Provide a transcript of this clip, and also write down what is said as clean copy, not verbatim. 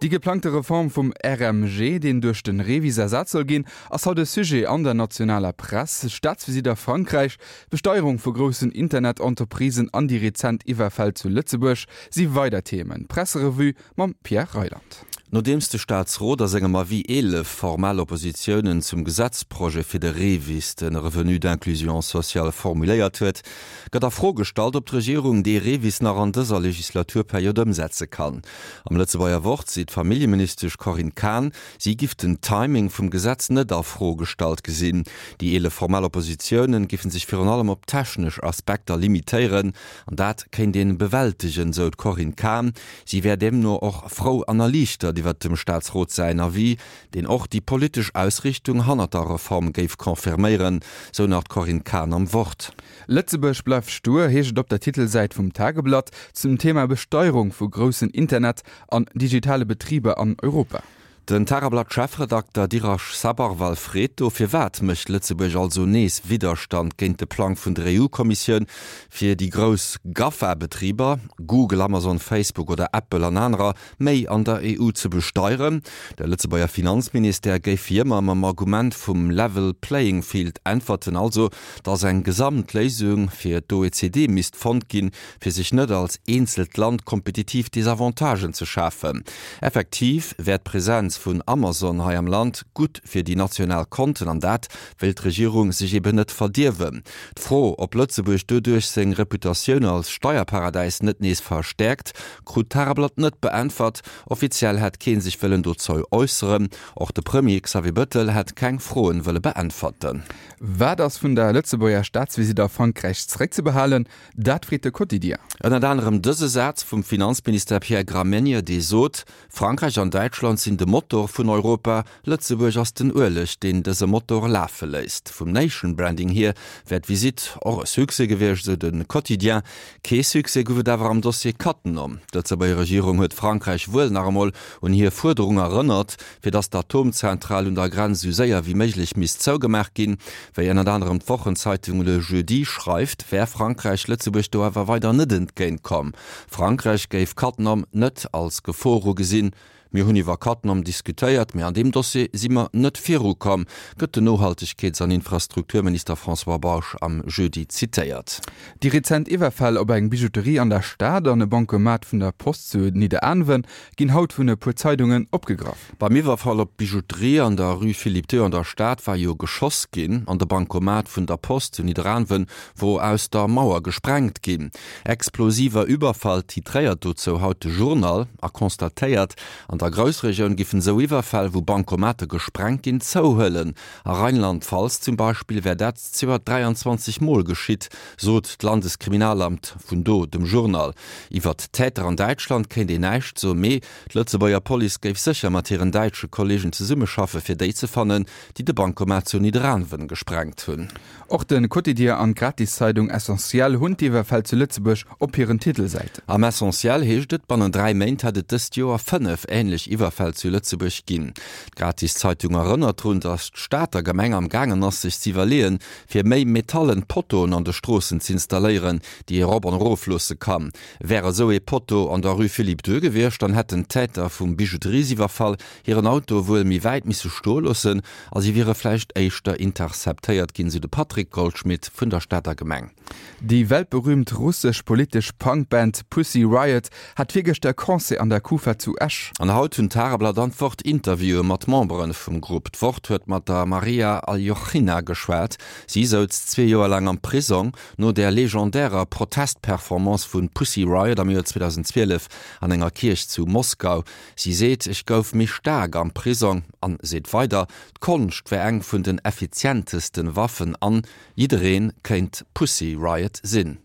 Déi geplangte Reform vum RMG, deen duerch de REVIS ersat soll ginn, ass haut e Sujet an der nationaler Press. Staatsvisitt a Frankräich, d'Besteierung vu groussen Internet-Entreprisen an déi rezent Iwwerfäll zu Lëtzebuerg si weider Themen. D'Presserevue mam Pierre Reyland. Nodeems de Staatsrot a sengem Avis 11 formal Oppositiounen zum Gesetzprojet fir de REVIS, de Revenu d'inclusion sociale, formuléiert huet, gëtt a Fro gestallt, ob d'Regierung dee REVIS nach an dëser Legislaturperiod ëmsetze kann. Am Lëtzebuerger Wort seet d'Familljeministesch Corinne Cahen, si giff den Timing vum Gesetz net a Fro gestallt gesinn. Déi 11 formal Oppositiounen giffen sech virun allem op technesch Aspekter limitéieren an dat kéint een bewältegen, sou d'Corinne Cahen. Si wär deemno och frou an erliichtert iwwert dem Staatsrot säin Avis, deen och déi politesch Ausrichtung hannert der Reform géif confirméieren, sou nach d'Corinne Cahen am Wort. Lëtzebuerg bleift stur, heescht et op der Titelsäit vum Tageblatt zum Thema Besteierung vu groussen Internet an digitale Betriber an Europa. Den Tageblatt-Chefredakter Dirash Sabharwal freet do, Firwat mécht Lëtzebuerg also nees Widderstand géint de Plang vun der EU-Kommissioun, fir déi grouss GAFA-Betriber, Google, Amazon, Facebook oder Apple an anerer, méi an der EU ze besteieren? De Lëtzebuerger Finanzministère géif wéi ëmmer mam Argument vum level playing field äntwerten, also datt eng Gesamtléisung fir d'OECD misst fonnt ginn, fir sech net als eenzelt Land kompetitiv Desavantagen ze schafen. Effektiv wär d'Presenz vun Amazon hei am Land gutt fir déi national Konten an dat wéilt d'Regierung sech eben net verdierwen. D'Fro, ob Lëtzebuerg doduerch seng Reputatioun als Steierparadäis net nees verstäerkt, krut d'Tageblatt net beäntwert. Offiziell hätt kee sech wëllen dozou äusseren. Och de Premier Xavier Bëttel hätt keng Froen wëlle beäntwerten. Wat ass vun der Lëtzebuerger Staatsvisitt a Frankräich zeréckzebehalen? Dat freet de Quotidien. Ënnert anerem dëse Saz vum Finanzminister Pierre Gramegna, dee sot, Frankräich an Däitschland sinn de Motor vun Europa, Lëtzebuerg ass den Ueleg, deen dëse Motor lafe léisst. Vum Nation Branding hier wär d'Visitt och e Succès gewiescht, esou de Quotidien. Kee Succès gouf et awer am Dossier Cattenom. D'Lëtzebuerger Regierung huet Frankräich wuel nach emol un hir Fuerderung erënnert, fir datt d'Atomzentral un der Grenz esou séier wéi méiglech misst zougemaach ginn. Wéi ënnert anerem d'Wochenzeitung Le Jeudi schreift, wär Frankräich Lëtzebuerg do awer weider net entgéint komm. Frankräich géif Cattenom net als Gefor ugesinn. Mir hunn iwwer Cattenom diskutéiert, mee an deem Dossier si mer net virukomm, gëtt den Nohaltegkeets an Infrastrukturminister François Bausch am Jeudi zitéiert. Déi rezent Iwwerfäll op eng Bijouterie an der Stad an e Bancomat vun der Post zu Nidderaanwen ginn haut vun e puer Zeidungen opgegraff. Beim Iwwerfall op d'Bijouterie an der Rue Philippe II an der Stad war jo geschoss ginn an de Bancomat vun der Post zu Nidderaanwen wor aus der Mauer gesprengt ginn. Explosiver Überfall titréiert dozou haut de Journal a constatéiert, an der Groussregioun giffen esou Iwwerfäll, wou Bancomate gesprengt ginn, zouhuelen. A Rheinland-Pfalz zum Beispill wär dat 23 Mol geschitt, sot d'Landeskriminalamt vun do dem Journal. Iwwert d'Täter an Däitschland kéint een näischt soen, mee d'Lëtzebuerger Police géif sécher mat hiren däitsche Kolleegen zesummeschaffe fir déi ze fannen, déi de Bancomat zu Nidderaanwen gesprengt hunn. Och de Quotidien an d'Gratiszeitung Essentiel hunn d'Iwwerfäll zu Lëtzebuerg op hiren Titelsäiten. Am Essentiel heescht et, bannent 3 Méint hätt et dëst Joer 5 änlech Iwwerfäll zu Lëtzebuerg ginn. D'Gratiszeitung erënnert drun, datt d'Stater Gemeng am gaangen ass sech z'iwwerleeën, fir méi metallen Pottoen an de Stroossen z'installéieren, déi ee rop an erof loosse kann. Wär esou ee Potto an der Rue Philippe II gewiescht, dann hätten d'Täter vum Bijouteriesiwwerfall hiren Auto wuel méi wäit misse stoe loossen a si wiere vläicht éischter interceptéiert ginn, sou de Patrick Goldschmidt vun der Stater Gemeng. Déi weltberüümt russesch politesch Punkband Pussy Riot hat virgëschter e Concert an der Kufa zu Esch. An haut hunn d'Tageblatt an d'Wort Interviewe mat Membere vum Grupp. D'Wort huet mat der Maria Aljochina geschwat. Si souz zwee Joer laang am Prisong no der legendärer Protestperformance vu Pussy Riot am Joer 2012 an enger Kierch zu Moskau. Si seet, Ech gouf méi staark am Prisong an seet weider, d'Konscht wär eng vun den effizientesten Waffen an jidderee kéint Pussy Riot sinn.